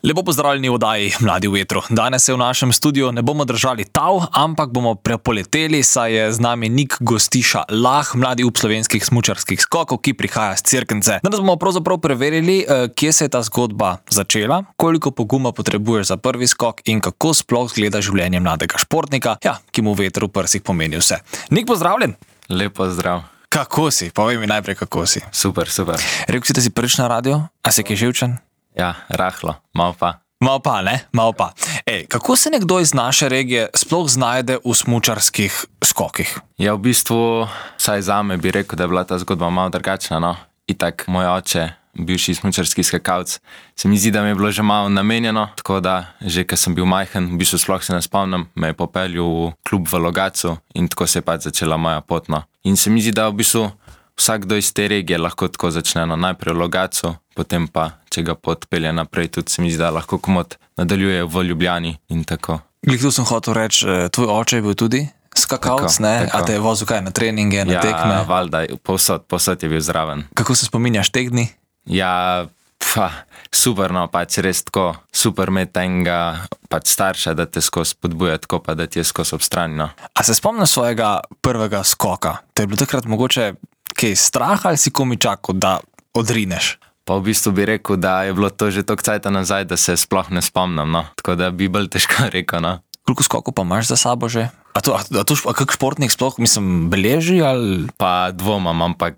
Lepo pozdravljeni v oddaji Mladi v vetru. Danes se v našem studiu ne bomo držali tav, ampak bomo prepoleteli, saj je z nami Nik Gostiša Lah, mladi up slovenskih smučarskih skokov, ki prihaja z Cerknice. Danes bomo pravzaprav preverili, kje se je ta zgodba začela, koliko poguma potrebuješ za prvi skok in kako sploh izgleda življenje mladega športnika, ki mu veter v prsih pomeni vse. Nik, pozdravljen! Lep pozdrav. Kako si? Povej mi najprej, kako si. Super. Rekel si, da si prvič na radio? A si kaj živčen? Ja, rahlo, malo pa. Malo pa. Kako se nekdo iz naše regije sploh znajde v smučarskih skokih? Ja, v bistvu, vsaj zame bi rekel, da je bila ta zgodba malo drugačna, no. Itak moj oče, bivši smučarski skakalec, se mi zdi, da mi je bilo že malo namenjeno, tako da, že ko sem bil majhen, v bistvu sploh se ne spomnim, me je popeljal v klub v Logatcu in tako se je pač začela moja pot, no. In se mi zdi, da v bistvu vsakdo iz te regije lahko tako začne, no, najprej v Logatcu, potem pa, če ga pot pelje naprej, tudi se mi zdi, da lahko komot nadaljuje v Ljubljani in tako. Glih, tu sem hotel reči, tvoj oče je bil tudi skakalec, ne? Tako. A te je vozil kaj na treninge, na tekme? Ja, valjda, povsod je bil zraven. Kako se spominjaš teh dni? Ja, super, no, pač res tako, super imeti enega pač starša, da te skozi spodbuja, tako pa da ti je skozi ob strani, no. A se spomniš svojega prvega skoka? Te je bilo takrat mogoče kaj strah ali si komi čakal, da odrineš? Pa v bistvu bi rekel, da je bilo to že toliko cajta nazaj, da se sploh ne spomnim, no. Tako da bi bolj težko rekel, no. Koliko skokov pa imaš za sabo že? A kak športnik sploh, beleži ali? Pa dvomam, ampak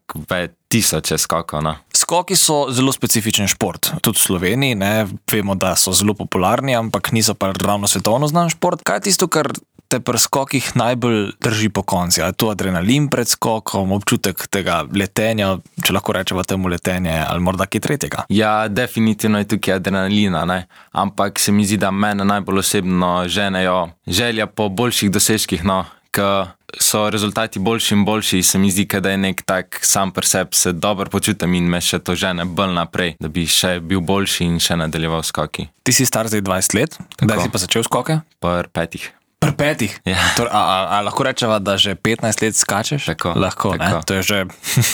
tisoče skokov, no. Skoki so zelo specifičen šport. Tudi v Sloveniji, ne, vemo, da so zelo popularni, ampak niso pa ravno svetovno znan šport. Kaj je tisto, kar te pri skokih najbolj drži po konci? Ali je to adrenalin pred skokom, občutek tega letenja, če lahko rečemo temu letenje, ali morda kaj tretjega? Ja, definitivno je tukaj adrenalina, ne. Ampak se mi zdi, da mene najbolj osebno ženejo želja po boljših dosežkih, no. Ko so rezultati boljši in boljši, se mi zdi, da je nek tak sam pri sebi se dobro počutim in me še to žene bolj naprej, da bi še bil boljši in še nadaljeval skoki. Ti si star zdaj 20 let, kdaj si pa začel skoke? Pri 5. Pri 5? Ja. A lahko rečeva, da že 15 let skačeš? Tako. Lahko, ne? To je že...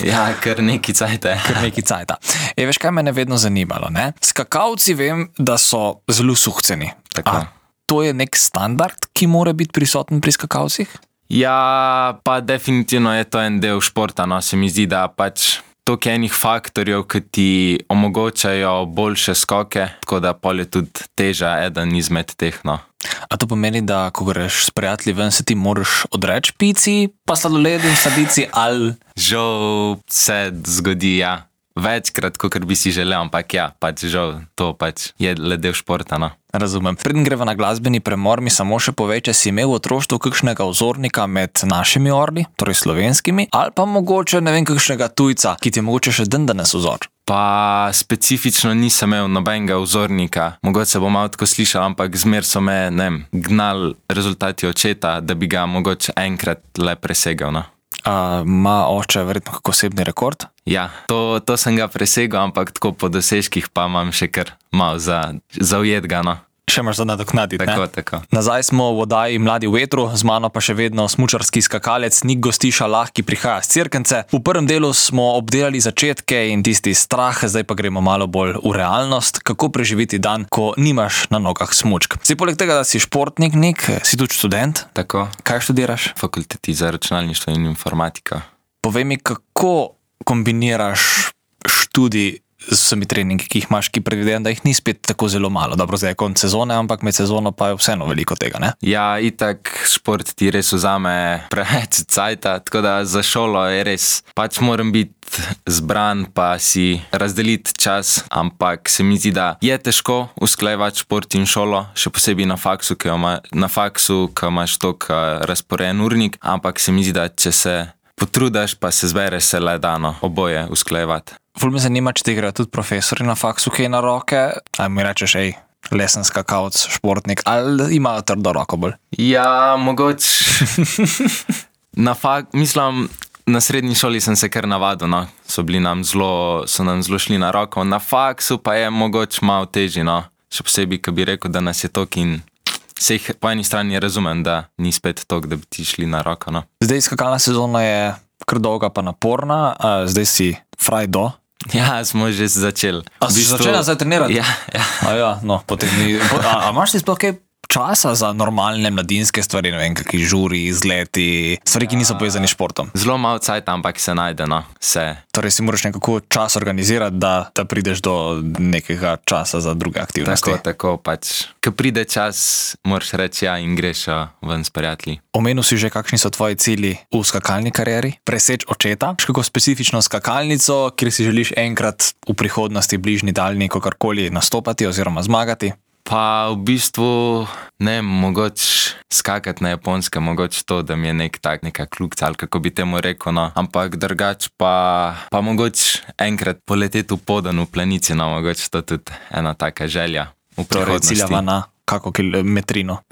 Ja, kar neki cajta. Veš, kaj mene vedno zanimalo, ne? Skakalci vem, da so zelo suhceni. Tako. A to je nek standard, ki mora biti prisoten pri skakalcih? Ja, pa definitivno je to en del športa, no, se mi zdi, da pač toliko enih faktorjev, ki ti omogočajo boljše skoke, tako da pol je tudi teža eden izmed teh, no. A to pomeni, da ko greš s prijatelji ven, se ti moraš odreči pici, pa sladoledu, sladici, ali... Žal se zgodi, ja. Večkrat, kakor bi si želel, ampak ja, pač žal, to pač je le del športa, no. Razumem. Preden greva na glasbeni premor, mi samo še povej, če si imel v otroštvu kakšnega vzornika med našimi orli, torej slovenskimi, ali pa mogoče, ne vem, kakšnega tujca, ki ti je mogoče še dandanes vzor. Pa specifično nisem imel nobenega vzornika, mogoče se bo malo tako slišal, ampak zmer so me, ne vem, gnali rezultati očeta, da bi ga mogoče enkrat le presegel, no. Ima oče verjetno kak osebni rekord? Ja, to sem ga presegel, ampak tako po dosežkih pa imam še kar malo za ujetga, no. Še imaš za nadoknaditi, ne? Tako. Nazaj smo v oddaji Mladi v vetru, z mano pa še vedno smučarski skakalec Nik Gostiša Lah, ki prihaja z Cerknice. V prvem delu smo obdelali začetke in tisti strah, zdaj pa gremo malo bolj v realnost, kako preživeti dan, ko nimaš na nogah smučk. Zdaj, poleg tega, da si športnik, Nik, si tudi študent. Tako. Kaj študiraš? Fakulteti za računalništvo in informatika. Povej mi, kako kombiniraš študij z vsemi treningi, ki jih imaš, ki predvidevam, da jih ni spet tako zelo malo. Dobro, zdaj je konec sezone, ampak med sezono pa je vseeno veliko tega, ne? Ja, itak šport ti res vzame preveč cajta, tako da za šolo je res, pač moram biti zbran pa si razdeliti čas, ampak se mi zdi, da je težko usklajevati šport in šolo, še posebej na faksu, ko imaš toliko razporejen urnik, ampak se mi zdi, da če se potrudaš, pa se zbereš, se le dano oboje usklajevati. Ful me zanima, če ti gre tudi profesori na faksu kaj na roke, ali mi rečeš, lesen skakalec, športnik, ali imajo trdo roko bolj? Ja, mogoče mislim, na srednji šoli sem se kar navadil, no. So nam zelo šli na roko, na faksu pa je mogoče malo težji, no. Še posebej, ko bi rekel, da nas je tok in se jih po eni strani razumem, da ni spet tok, da bi ti šli na roko, no. Zdaj skakalna sezona je kar dolga pa naporna, zdaj si fraj do Ja, smo že začeli. A si začela zdaj trenirati? Ja, ja. Ja, no, potem ni. A imaš ti sploh kaj časa za normalne mladinske stvari, ne vem, kakšni žuri, izleti, stvari, ki niso povezani s športom? Zelo malo cajt, ampak se najde, no, se. Torej si moraš nekako čas organizirati, da prideš do nekega časa za druge aktivnosti. Tako pač. Ko pride čas, moraš reči ja in greš ven s prijatelji. Omenil si že, kakšni so tvoji cilji v skakalni karieri? Preseč očeta? Kako specifično skakalnico, kjer si želiš enkrat v prihodnosti, bližnji, daljni, kakorkoli nastopati oziroma zmagati? Pa v bistvu ne, mogoče skakati na Japonskem, mogoče to, da mi je neka kljukca, ali kako bi temu rekel, no. Ampak drugače pa mogoče enkrat poleteti v Podan v planici, no, mogoče to tudi ena taka želja v prihodnosti. Torej ciljava na kako kilometrino?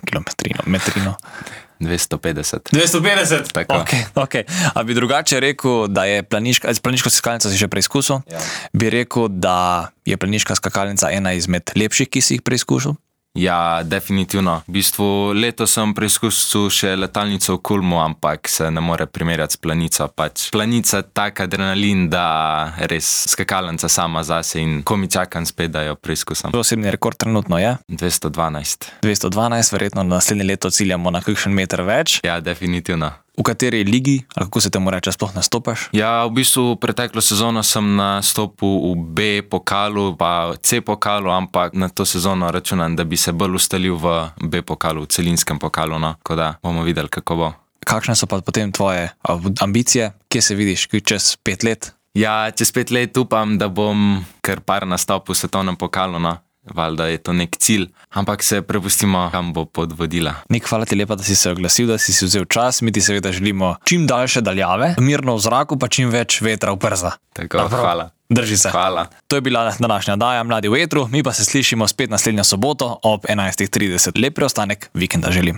250. 250? Tako. Ok. A bi drugače rekel, da je planiško skakalnico si že preizkusil? Ja. Bi rekel, da je planiška skakalnica ena izmed lepših, ki si jih preizkusil? Ja, definitivno. V bistvu letos sem preizkusil še letalnico v Kulmu, ampak se ne more primerjati s planico. Pač planica tak adrenalin, da res skakalnica sama zase in ko mi čakam spet, da jo preizkusim. Osebni rekord trenutno je? 212. 212, verjetno naslednje leto ciljamo na kakšen meter več. Ja, definitivno. V kateri ligi, ali kako se temu reče, sploh nastopaš? Ja, v bistvu preteklo sezono sem nastopil v B pokalu, pa C pokalu, ampak na to sezono računam, da bi se bolj ustalil v B pokalu, v celinskem pokalu, no, tako da bomo videli, kako bo. Kakšne so pa potem tvoje ambicije, kje se vidiš čez 5 let? Ja, čez 5 let upam, da bom kar par nastopil v svetovnem pokalu, no. Valjda je to nek cilj, ampak se prepustimo, kam bo pot vodila. Nik, hvala ti lepa, da si se oglasil, da si vzel čas. Mi ti seveda želimo čim daljše daljave, mirno v zraku, pa čim več vetra v prza. Tako, hvala. Drži se. Hvala. To je bila današnja oddaja Mladi v etru, mi pa se slišimo spet naslednjo soboto ob 11:30. Lep preostanek vikenda želim.